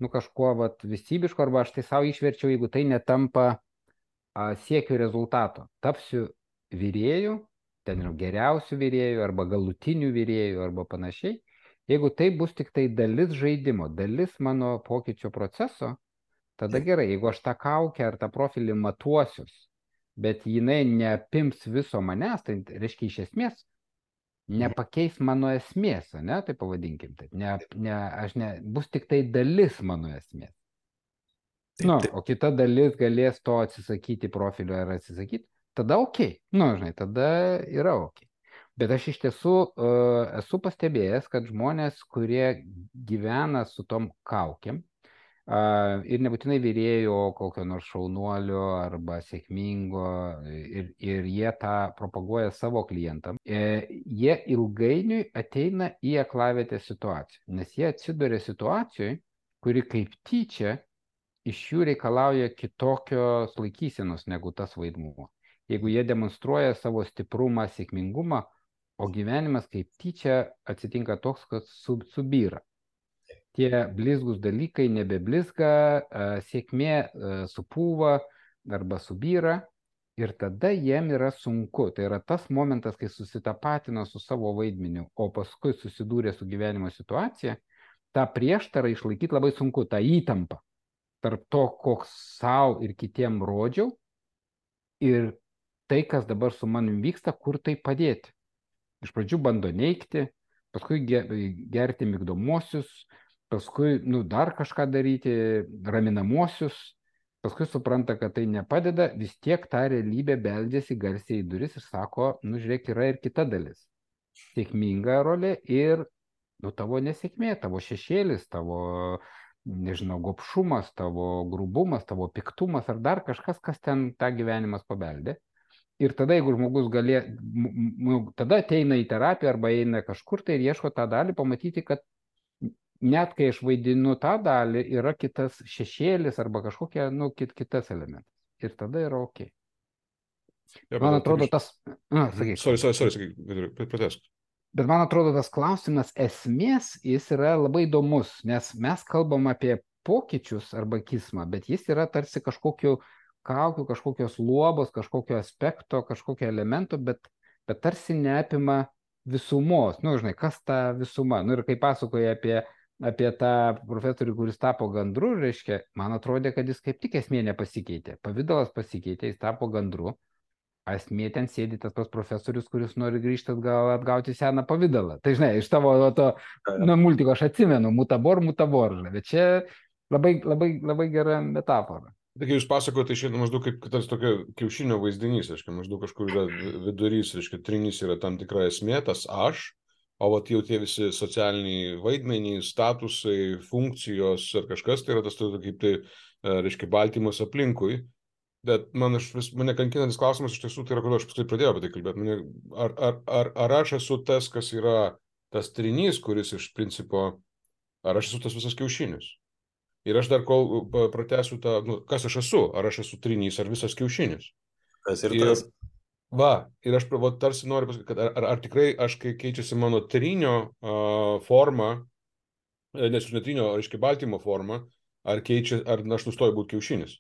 nu, kažkuo vat, visybiško, arba aš tai savo išverčiau, jeigu tai netampa a, siekiu rezultato. Tapsiu vyrėjų, ten yra geriausių vyrėjų, arba galutinių vyrėjų, arba panašiai. Jeigu tai bus tik tai dalis žaidimo, dalis mano pokyčio proceso, tada gerai, jeigu aš tą kaukę ar tą profilį matuosius, bet jinai neapims viso manęs, tai reiškia iš esmės nepakeis mano esmės, ne, tai pavadinkim taip, ne, ne, aš ne, bus tik tai dalis mano esmės. Nu, o kita dalis galės to atsisakyti profilio ar atsisakyti, tada ok, nu, žinai, tada yra ok. Bet aš iš tiesų uh, esu pastebėjęs, kad žmonės, kurie gyvena su tom kaukėm uh, ir nebūtinai vyrėjo kokio nors šaunuolio arba sėkmingo ir, ir jie tą propaguoja savo klientam, e, jie ilgainiui ateina į aklavietę situaciją, nes jie atsiduria situacijoje, kuri kaip tyčia iš jų reikalauja kitokios laikysenos negu tas vaidmuo. Jeigu jie demonstruoja savo stiprumą, sėkmingumą, o gyvenimas kaip tyčia atsitinka toks, kad sub, subyra. Tie blizgus dalykai nebeblizga, sėkmė supūva arba subyra ir tada jiem yra sunku. Tai yra tas momentas, kai susitapatino su savo vaidmeniu, o paskui susidūrė su gyvenimo situacija, tą prieštarą išlaikyti labai sunku, tą įtampą tarp to, koks savo ir kitiem rodžiau ir tai, kas dabar su manim vyksta, kur tai padėti. Iš pradžių bando neigti, paskui gerti migdomosius, paskui nu, dar kažką daryti, raminamosius, paskui supranta, kad tai nepadeda, vis tiek tą realybę beldžiasi garsiai į duris ir sako, nu žiūrėk, yra ir kita dalis. Sėkminga rolė ir nu, tavo nesėkmė, tavo šešėlis, tavo, nežinau, gobšumas, tavo grubumas, tavo piktumas ar dar kažkas, kas ten tą gyvenimas pabeldė. Ir tada, jeigu žmogus galė, tada ateina į terapiją arba eina kažkur tai ir ieško tą dalį, pamatyti, kad net kai aš vaidinu tą dalį, yra kitas šešėlis arba kažkokia, nu, kit, kitas elementas. Ir tada yra ok. Ja, Man bet atrodo, iš... tas... Na, Mhm. sakyk. Sorry, sorry, sorry, sakyk, pratęsk. Bet man atrodo, tas klausimas esmės, jis yra labai įdomus, nes mes kalbam apie pokyčius arba kismą, bet jis yra tarsi kažkokiu kaukiu, kažkokios luobos, kažkokio aspekto, kažkokio elemento, bet, bet tarsi neapima visumos. Nu, žinai, kas ta visuma? Nu, ir kai pasakoja apie, apie tą profesorių, kuris tapo gandru, reiškia, man atrodė, kad jis kaip tik esmė nepasikeitė. Pavidalas pasikeitė, jis tapo gandru. Esmė ten sėdi tas pats profesorius, kuris nori grįžti atgal atgauti seną pavidalą. Tai žinai, iš tavo to nu, multiko aš atsimenu, mutabor, mutabor, žinai, bet čia labai, labai, labai gera metafora. Tai kai jūs pasakote, tai šiandien maždaug kaip tas tokio kiaušinio vaizdinys, reiškia, maždaug kažkur yra vidurys, reiškia, trinys yra tam tikra esmė, tas aš, o vat jau tie visi socialiniai vaidmenys, statusai, funkcijos ar kažkas, tai yra tas kaip tai, reiškia, baltymas aplinkui. Bet man aš vis, mane kankinantis klausimas iš tiesų, tai yra, kodėl aš paskui pradėjau apie tai kalbėti. Mane, ar, ar, ar, ar aš esu tas, kas yra tas trinys, kuris iš principo, ar aš esu tas visas kiaušinis? Ir aš dar kol pratęsiu tą, nu, kas aš esu, ar aš esu trinys, ar visas kiaušinis. Tas ir tas. Ir, va, ir aš va, tarsi noriu pasakyti, kad ar, ar, ar tikrai aš, kai keičiasi mano trinio uh, forma, nes iš netrinio, reiškia, baltymo forma, ar keičia, ar aš nustoju būti kiaušinis.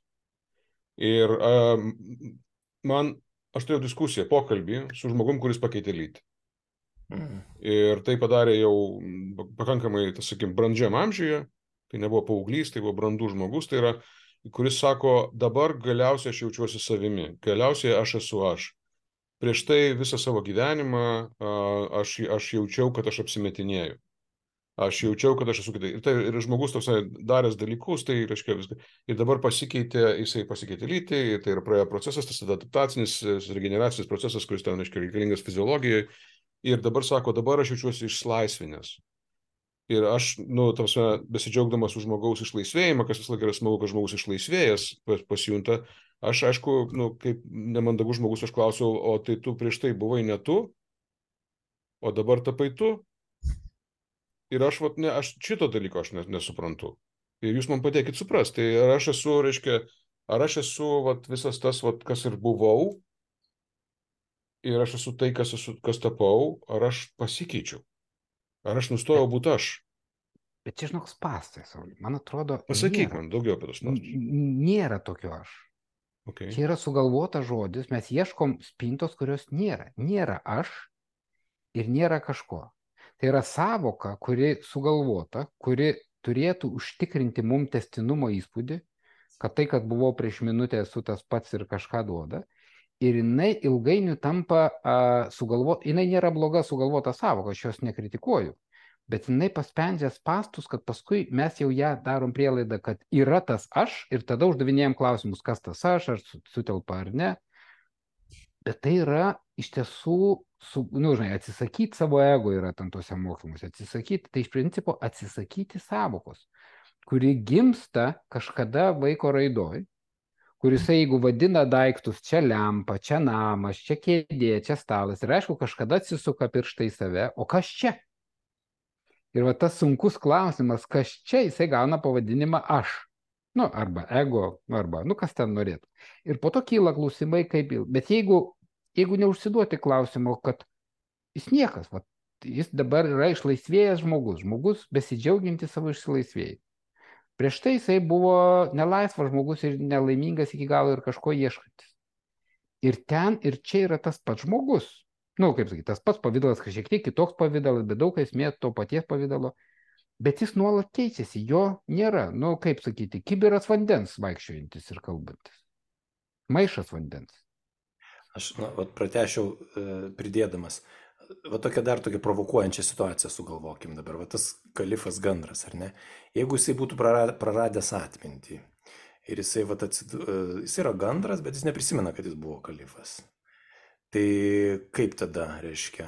Ir um, man, aš turėjau diskusiją, pokalbį su žmogum, kuris pakeitė lytį. Mm. Ir tai padarė jau pakankamai, tas, sakykim, brandžiam amžiuje, tai nebuvo paauglys, tai buvo brandus žmogus, tai yra, kuris sako, dabar galiausiai aš jaučiuosi savimi, galiausiai aš esu aš. Prieš tai visą savo gyvenimą aš, aš jaučiau, kad aš apsimetinėjau. Aš jaučiau, kad aš esu kitai. Ir, tai, ir žmogus toks daręs dalykus, tai reiškia viską. Ir dabar pasikeitė, jisai pasikeitė lytį, tai yra praėjo procesas, tas adaptacinis, regeneracinis procesas, kuris ten, reiškia, reikalingas fiziologijai. Ir dabar sako, dabar aš jaučiuosi išlaisvinęs. Ir aš, nu, tamsme, besidžiaugdamas už žmogaus išlaisvėjimą, kas vis laik yra smagu, kad žmogus išlaisvėjęs pasijunta, aš, aišku, nu, kaip nemandagus žmogus, aš klausiau, o tai tu prieš tai buvai ne tu, o dabar tapai tu? Ir aš, vat, ne, aš šito dalyko aš nesuprantu. Ir jūs man padėkit suprasti. Tai ar aš esu, reiškia, ar aš esu vat, visas tas, vat, kas ir buvau, ir aš esu tai, kas, esu, kas tapau, ar aš pasikeičiau. Ar aš nustojau būti aš. Bet čia žinok spastai, Saulė. Man atrodo, pasakyk nėra, man daugiau apie tos spastus. Nėra tokio aš. Okay. Čia yra sugalvota žodis, mes ieškom spintos, kurios nėra. Nėra aš ir nėra kažko. Tai yra savoka, kuri sugalvota, kuri turėtų užtikrinti mum tęstinumo įspūdį, kad tai, kad buvau prieš minutę, esu tas pats ir kažką duoda. Ir jinai ilgainiui tampa uh, sugalvota, jinai nėra bloga sugalvota savoka, aš jos nekritikuoju, bet jinai paspendžia spastus, kad paskui mes jau ją darom prielaidą, kad yra tas aš ir tada uždavinėjom klausimus, kas tas aš, ar sutelpa ar ne. Bet tai yra iš tiesų, su, nu, žinai, atsisakyti savo ego yra tam tuose mokymuose, atsisakyti, tai iš principo atsisakyti savokos, kuri gimsta kažkada vaiko raidoj, kuris, jeigu vadina daiktus, čia lempa, čia namas, čia kėdė, čia stalas, ir aišku, kažkada atsisuka pirštai į save, o kas čia? Ir va tas sunkus klausimas, kas čia, jisai gauna pavadinimą aš. Nu, arba ego, arba, nu, kas ten norėtų. Ir po to kyla klausimai, kaip, bet jeigu, jeigu neužsiduoti klausimo, kad jis niekas, va, jis dabar yra išlaisvėjęs žmogus, žmogus besidžiauginti savo išsilaisvėjai. Prieš tai jisai buvo nelaisvas žmogus ir nelaimingas iki galo ir kažko ieškantis. Ir ten, ir čia yra tas pats žmogus. Nu, kaip sakyti, tas pats pavidalas, kažkiek tiek kitoks pavidalas, bet daug esmė to paties pavydalo. Bet jis nuolat keičiasi, jo nėra, nu kaip sakyti, kibiras vandens vaikščiojantis ir kalbantis. Maišas vandens. Aš, na, vat pratešiau e, pridėdamas, va tokia dar tokia provokuojančia situacija sugalvokim dabar, va tas kalifas gandras, ar ne? Jeigu jisai būtų praradęs atmintį ir jisai, va, atsid... jisai yra gandras, bet jis neprisimena, kad jis buvo kalifas. Tai kaip tada, reiškia?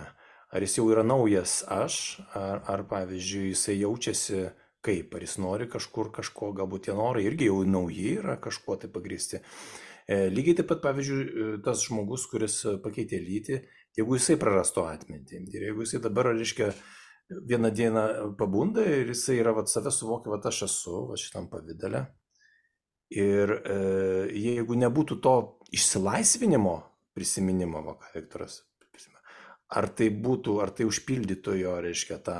Ar jis jau yra naujas aš, ar, ar pavyzdžiui, jisai jaučiasi kaip, ar jis nori kažkur kažko, galbūt tie norai irgi jau nauji yra kažkuo tai pagristi. E, lygiai taip pat, pavyzdžiui, tas žmogus, kuris pakeitė lytį, jeigu jisai prarasto atmintį, ir jeigu jisai dabar, reiškia, vieną dieną pabunda ir jisai yra, vat, save suvokia, vat aš esu, va šitam pavydale. Ir e, jeigu nebūtų to išsilaisvinimo, prisiminimo, va, ką Viktoras prisimena. Ar tai būtų, ar tai užpildytų jo, reiškia, tą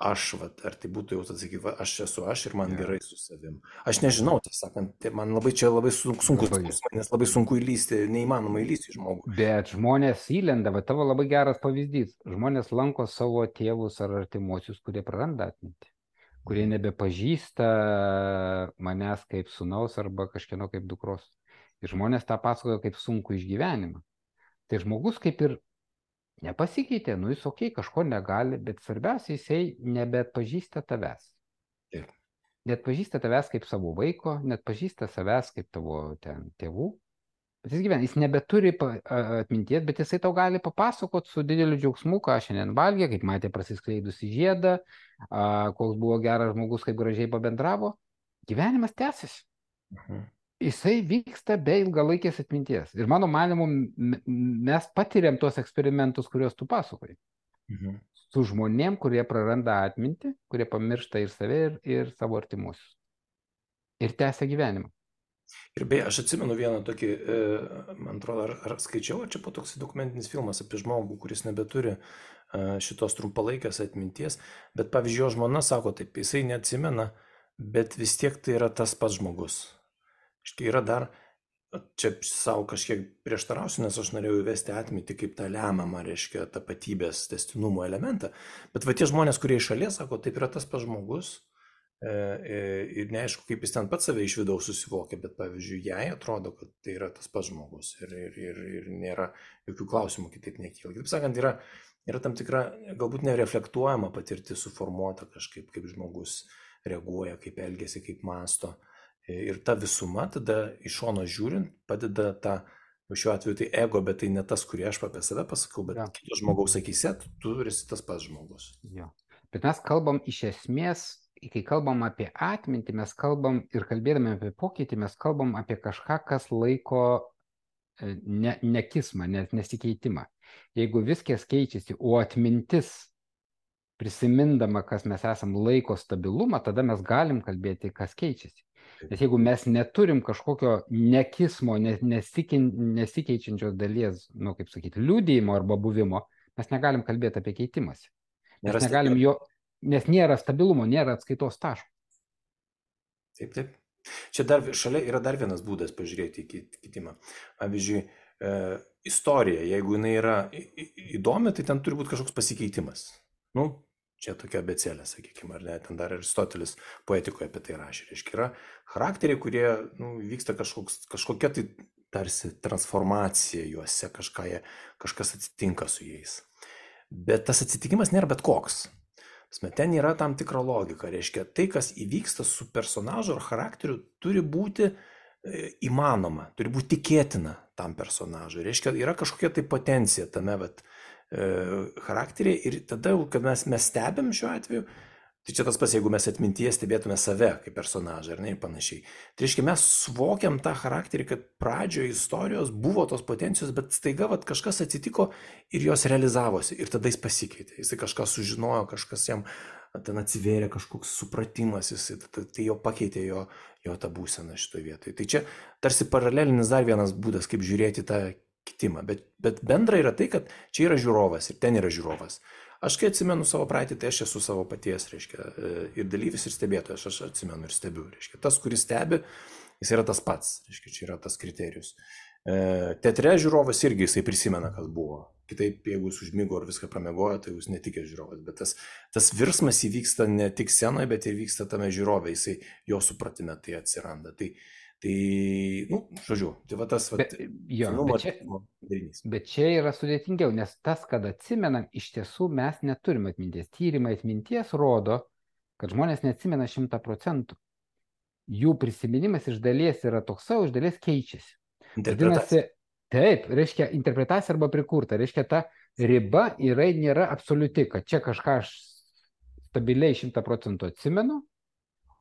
aš, va, ar tai būtų jau atsakyk, va, aš esu aš ir man Jo. gerai su savim. Aš nežinau, tiesą sakant, tai man labai čia labai sun- sunkus Labai. klausimai, nes labai sunku įlysti, neįmanoma įlysti į žmogų. Bet žmonės įlenda, va tavo labai geras pavyzdys. Žmonės lanko savo tėvus ar artimuosius, kurie praranda atmintį, kurie nebepažįsta manęs kaip sūnaus arba kažkieno kaip dukros. Ir žmonės tą pasakoja kaip sunku išgyvenimą. Tai žmogus kaip ir nepasikeitė, nu jis okei, kažko negali, bet svarbiausia, jisai nebeatpažįsta tavęs. Taip. Net pažįsta tavęs kaip savo vaiko, net pažįsta savęs kaip tavo ten tėvų. Bet jis gyvena, jis nebeturi pa- a- atminties, bet jisai tau gali papasakot su dideliu džiaugsmu, ką šiandien valgė, kaip matė prasiskleidusi žiedą, a, koks buvo geras žmogus, kaip gražiai pabendravo. Gyvenimas tęsiasi. Mhm. Jisai vyksta be ilgalaikės atminties. Ir mano manimu, m- m- mes patiriam tuos eksperimentus, kuriuos tu pasakoji. Mhm. Su žmonėm, kurie praranda atmintį, kurie pamiršta ir save, ir, ir savo artimuosius. Ir tęsia gyvenimą. Ir beje, aš atsimenu vieną tokį, e, man atrodo, ar, ar skaičiau, ar čia po toks dokumentinis filmas apie žmogų, kuris nebeturi e, šitos trumpalaikės atminties, bet pavyzdžiui, jo žmona sako taip, jisai neatsimena, bet vis tiek tai yra tas pats žmogus. Štai yra dar, čia savo kažkiek prieštarausiu, nes aš norėjau įvesti atmintį kaip tą lemiamą, reiškia, tapatybės tęstinumo elementą, bet va tie žmonės, kurie iš šalies sako, taip yra tas pats žmogus, e, e, ir neaišku, kaip jis ten pats save iš vidaus susivokia, bet pavyzdžiui, jai atrodo, kad tai yra tas pats žmogus ir, ir, ir, ir nėra jokių klausimų kitaip nekyla. Kaip sakant, yra, yra tam tikra, galbūt nereflektuojama patirtis suformuota kažkaip, kaip žmogus reaguoja, kaip elgiasi, kaip masto. Ir ta visuma tada iš šono žiūrint padeda tą, šiuo atveju tai ego, bet tai ne tas, kurį aš apie save pasakau, bet Ja. kito žmogaus akyse, tu esi tas pats žmogus. Jo. Bet mes kalbam iš esmės, kai kalbam apie atmintį, mes kalbam ir kalbėdami apie pokytį, mes kalbam apie kažką, kas laiko e, ne, nekismą, ne, nesikeitimą. Jeigu viskas keičiasi, o atmintis prisimindama, kas mes esam, laiko stabilumą, tada mes galim kalbėti, kas keičiasi. Nes jeigu mes neturim kažkokio nekismo, ne- nesikin- nesikeičiančios dalies, nu kaip sakyti, liūdėjimo arba buvimo, mes negalim kalbėti apie keitimąsi. Mes Nėra negalim jo, nes nėra stabilumo, nėra atskaitos taško. Taip, taip. Čia dar šalia yra dar vienas būdas pažiūrėti į kit- kitimą. Pavyzdžiui, e, istorija, jeigu jinai yra į- į- įdomi, tai ten turi būti kažkoks pasikeitimas. Nu, čia tokia abėcėlė, sakykime, ar ne, ten dar Aristotelis poetikoje apie tai rašė. Reiškia, yra charakteriai, kurie nu, vyksta kažkoks, kažkokia tai tarsi transformacija juose, kažką jie, kažkas atsitinka su jais. Bet tas atsitikimas nėra bet koks. Prasme, ten yra tam tikra logika, reiškia, tai, kas įvyksta su personažu ar charakteriu, turi būti e, įmanoma, turi būti tikėtina tam personažui. Reiškia, yra kažkokia tai potencija tame vat, e, charakteriai ir tada, jau, kad mes, mes stebim šiuo atveju, tai čia tas pas, jeigu mes atmintyje stebėtume save kaip personažą ar ne ir panašiai. Tai reiškia, mes suvokiam tą charakterį, kad pradžioje istorijos buvo tos potencijos, bet staiga vat, kažkas atsitiko ir jos realizavosi ir tada jis pasikeitė. Jisai kažką sužinojo, kažkas jam ten atsivėrė, kažkoks supratimas, jisai, tai, tai jo pakeitė jo, jo tą būseną šitoje vietoje. Tai čia tarsi paralelinis dar vienas būdas, kaip žiūrėti tą kitimą. Bet, bet bendra yra tai, kad čia yra žiūrovas ir ten yra žiūrovas. Aš kai atsimenu savo praeitį, tai aš esu savo paties, reiškia, ir dalyvis, ir stebėtojas, aš atsimenu ir stebiu, reiškia. Tas, kuris stebi, jis yra tas pats, reiškia, čia yra tas kriterijus. Teatre žiūrovas irgi jisai prisimena, kas buvo. Kitaip, jeigu jis užmigo ar viską pramiegojo, tai jūs netikės žiūrovas. Bet tas, tas virsmas įvyksta ne tik scenoje, bet ir vyksta tame žiūrovė, jisai jo supratime tai atsiranda. Tai, tai nu, žodžiu, tai va tas, va, Bet, jo, senumo bet, čia, darinys. bet čia yra sudėtingiau, nes tas, kad atsimenam, iš tiesų mes neturim atminties. Tyrimai atminties rodo, kad žmonės neatsimena šimtą procentų. Jų prisiminimas iš dalies yra toks savo, iš dalies keičiasi. Vadinasi, taip, reiškia interpretacija arba prikurta, reiškia ta riba yra, nėra absoliuti, kad čia kažką aš stabiliai šimtą procentų atsimenu,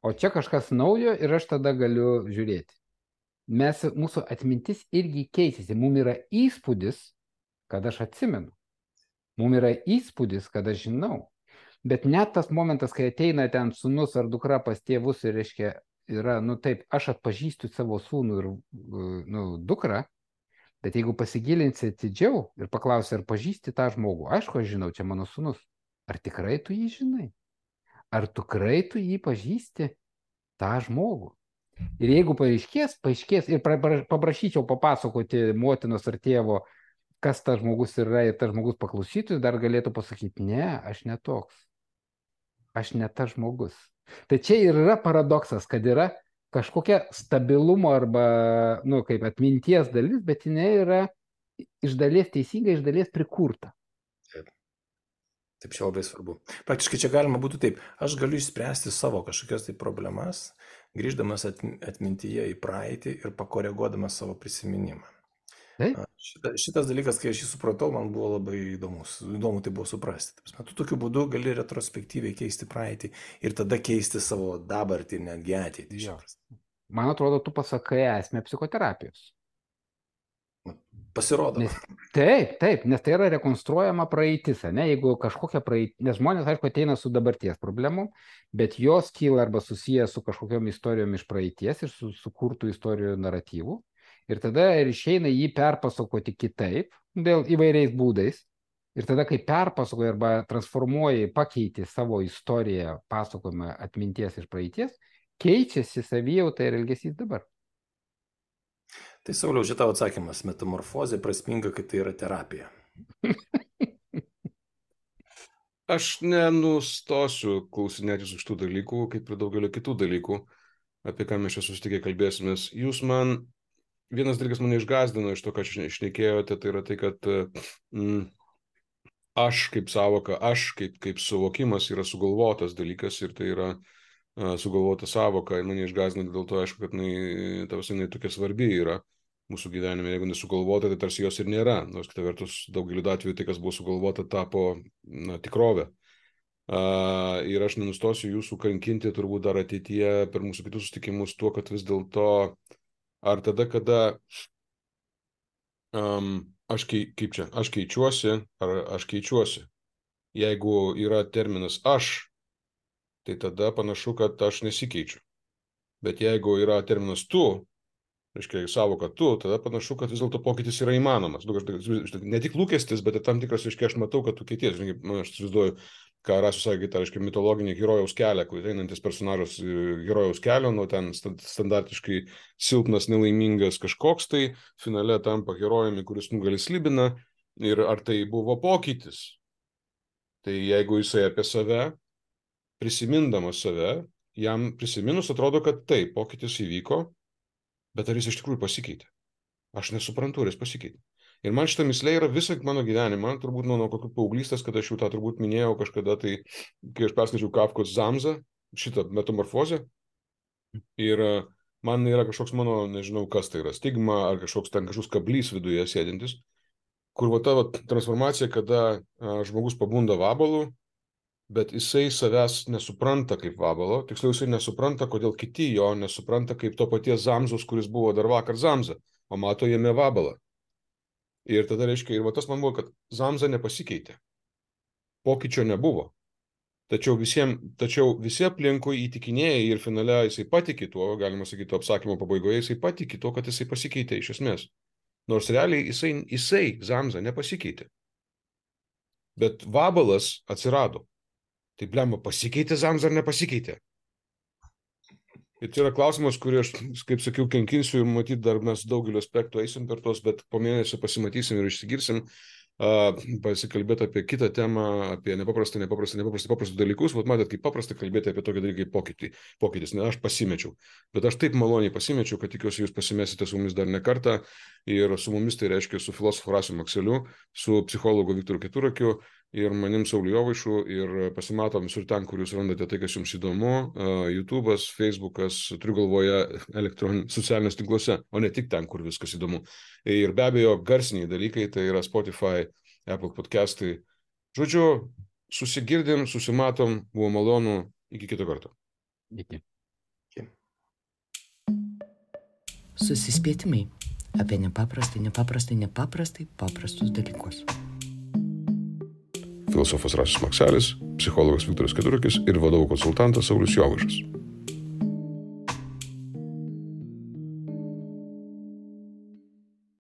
o čia kažkas naujo ir aš tada galiu žiūrėti. Mes, mūsų atmintis irgi keisėsi, mums yra įspūdis, kad aš atsimenu, mums yra įspūdis, kad aš žinau, bet net tas momentas, kai ateina ten sūnus ar dukra pas tėvus ir reiškia, yra, nu taip, aš atpažįstu savo sūnų ir nu, dukrą, Bet jeigu pasigilinsi atidžiau ir paklausi, ar pažįsti tą žmogų, aišku, aš žinau, čia mano sūnus, ar tikrai tu jį žinai? Ar tikrai tu jį pažįsti, tą žmogų? Ir jeigu paaiškės, paaiškės ir paprašyčiau papasakoti motinos ar tėvo, kas tas žmogus yra ir tas žmogus paklausytų, dar galėtų pasakyti, ne, aš ne toks. Aš ne tas žmogus. Tai čia ir yra paradoksas, kad yra kažkokia stabilumo arba, nu, kaip atminties dalis, bet jinai yra iš dalies teisinga, iš dalies prikurta. Taip. Taip, čia labai svarbu. Praktiškai čia galima būtų taip, aš galiu išspręsti savo kažkokias tai problemas, grįždamas atmintyje į praeitį ir pakoreguodamas savo prisiminimą. Šita, šitas dalykas, kai aš jį supratau, man buvo labai įdomus. Įdomu tai buvo suprasti. Tu tokiu būdu gali retrospektyviai keisti praeitį ir tada keisti savo dabartį ir netgi ateitį. Man atrodo, tu pasakai esmę psichoterapijos. Pasirodo. Nes, taip, taip, nes tai yra rekonstruojama praeitis, ne? Jeigu kažkokia praeitis, nes žmonės, aišku, ateina su dabarties problemom, bet jos kyla arba susiję su kažkokiom istorijom iš praeities ir su sukurtų istorijų naratyvų. Ir tada ir išeina jį perpasakoti kitaip, dėl įvairiais būdais. Ir tada, kai perpasakoji arba transformuoji, pakeiti savo istoriją, pasakojimą atminties iš praeities, keičiasi savijauta ir elgesys dabar. Tai Sauliau, šitą atsakymas, metamorfozė prasminga, kad tai yra terapija. Aš nenustosiu klausinėtis už tų dalykų, kaip ir daugelio kitų dalykų, apie ką mes čia susitikę kalbėsimės. Jūs man... Vienas dalykas mane išgazdino iš to, ką šnekėjote, tai yra tai, kad mm, aš kaip savoka, aš kaip, kaip suvokimas yra sugalvotas dalykas ir tai yra uh, sugalvota savoka. Ir mane išgazdino dėl to, aišku, kad jinai, ta visai, jinai tokia svarbi yra mūsų gyvenime. Jeigu nesugalvota, tai tarsi jos ir nėra. Nors kita vertus, daugeliu atveju tai, kas buvo sugalvota, tapo na, tikrovė. Uh, ir aš nenustosiu jūsų kankinti turbūt dar ateityje per mūsų kitus susitikimus tuo, kad vis dėlto ar tada, kada um, aš, kei, kaip čia, aš keičiuosi, ar aš keičiuosi. Jeigu yra terminas aš, tai tada panašu, kad aš nesikeičiu. Bet jeigu yra terminas tu, reiškia savoka tu, tada panašu, kad vis dėlto pokytis yra įmanomas. Ne tik lūkestis, bet ir tam tikras, reiškia, aš matau, kad tu keities. Aš įsivaizduoju, ką Rasius sakė, tai reiškia mitologinį herojaus kelią, kur einantis personažas herojaus kelio, nu ten standartiškai silpnas, nelaimingas kažkoks, tai finale tampa herojumi, kuris nugali Slibiną. Ir ar tai buvo pokytis? Tai jeigu jisai apie save, prisimindamas save, jam prisiminus atrodo, kad taip, pokytis įvyko, bet ar jis iš tikrųjų pasikeitė? Aš nesuprantu, ar jis pasikeitė. Ir man šitą mislę yra visą mano gyvenimą, turbūt nuo, nuo kokių paauglystės, kad aš jau tą turbūt minėjau kažkada, tai kai aš perskaičiau Kafkos Zamzą, šitą metamorfozę, ir man yra kažkoks mano, nežinau kas tai yra, stigma, ar kažkoks ten kažkoks kablys viduje sėdintis, kur va ta va, transformacija, kada a, žmogus pabunda vabalu, bet jisai savęs nesupranta kaip vabalo, tiksliau jisai nesupranta, kodėl kiti jo nesupranta kaip to paties Zamzos, kuris buvo dar vakar Zamza, o mato jame vabalą. Ir tada reiškia, ir va tas man buvo, kad Zamza nepasikeitė. Pokyčio nebuvo. Tačiau, visiem, tačiau visi aplinkui įtikinėja ir finale jisai patikė tuo, galima sakyti, to apsakymo pabaigoje, jisai patikė tuo, kad jisai pasikeitė iš esmės. Nors realiai jisai, jisai Zamza nepasikeitė. Bet vabalas atsirado. Tai blemba, pasikeitė Zamza ar nepasikeitė? Ir tai yra klausimas, kurį aš, kaip sakiau, kenkinsiu ir matyt, dar mes daugelio aspektų eisim per tos, bet po mėnesio pasimatysim ir išsigirsim, uh, pasikalbėti apie kitą temą, apie nepaprastą, nepaprastą, nepaprastą, paprastus dalykus. Vat matėt, kaip paprasta kalbėti apie tokį dalyką kaip pokytį, pokytis. Ne, aš pasimečiau. Bet aš taip maloniai pasimečiau, kad tikiuosi jūs pasimesite su mumis dar ne kartą. Ir su mumis tai reiškia su filosofu Rasiu Makseliu, su psichologu Viktoru Keturakiu ir manim Sauliu Jovaišu, ir pasimatom visur ten, kur jūs randate tai, kas jums įdomu, uh, YouTube'as, Facebook'as, turiu galvoje socialiniuose tinkluose, o ne tik ten, kur viskas įdomu. Ir be abejo, garsiniai dalykai, tai yra Spotify, Apple podcastai. Žodžiu, susigirdim, susimatom, buvo malonu, iki kito karto. Iki. Iki. Susispėtimai apie nepaprastai, nepaprastai, nepaprastai paprastus dalykus. Filosofas Rasius Makselis, psichologas Viktoras Keturakis ir vadovų konsultantas Saulius Jovaišas.